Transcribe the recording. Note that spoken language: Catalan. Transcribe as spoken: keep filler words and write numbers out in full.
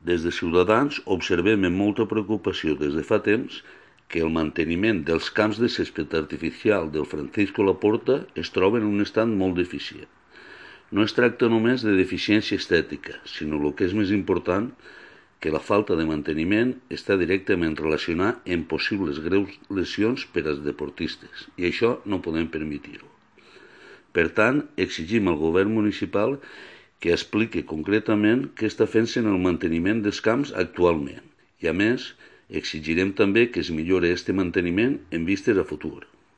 Des de Ciutadans observem amb molta preocupació des de fa temps que el manteniment dels camps de césped artificial del Francisco Laporta es troba en un estat molt deficient. No es tracta només de deficiència estètica, sinó el que és més important, que la falta de manteniment està directament relacionada amb possibles greus lesions per als deportistes, i això no podem permetir-ho. Per tant, exigim al govern municipal que expliqui concretament què està fent-se en el manteniment dels camps actualment, i a més, exigirem també que es millori aquest manteniment en vistes a futur.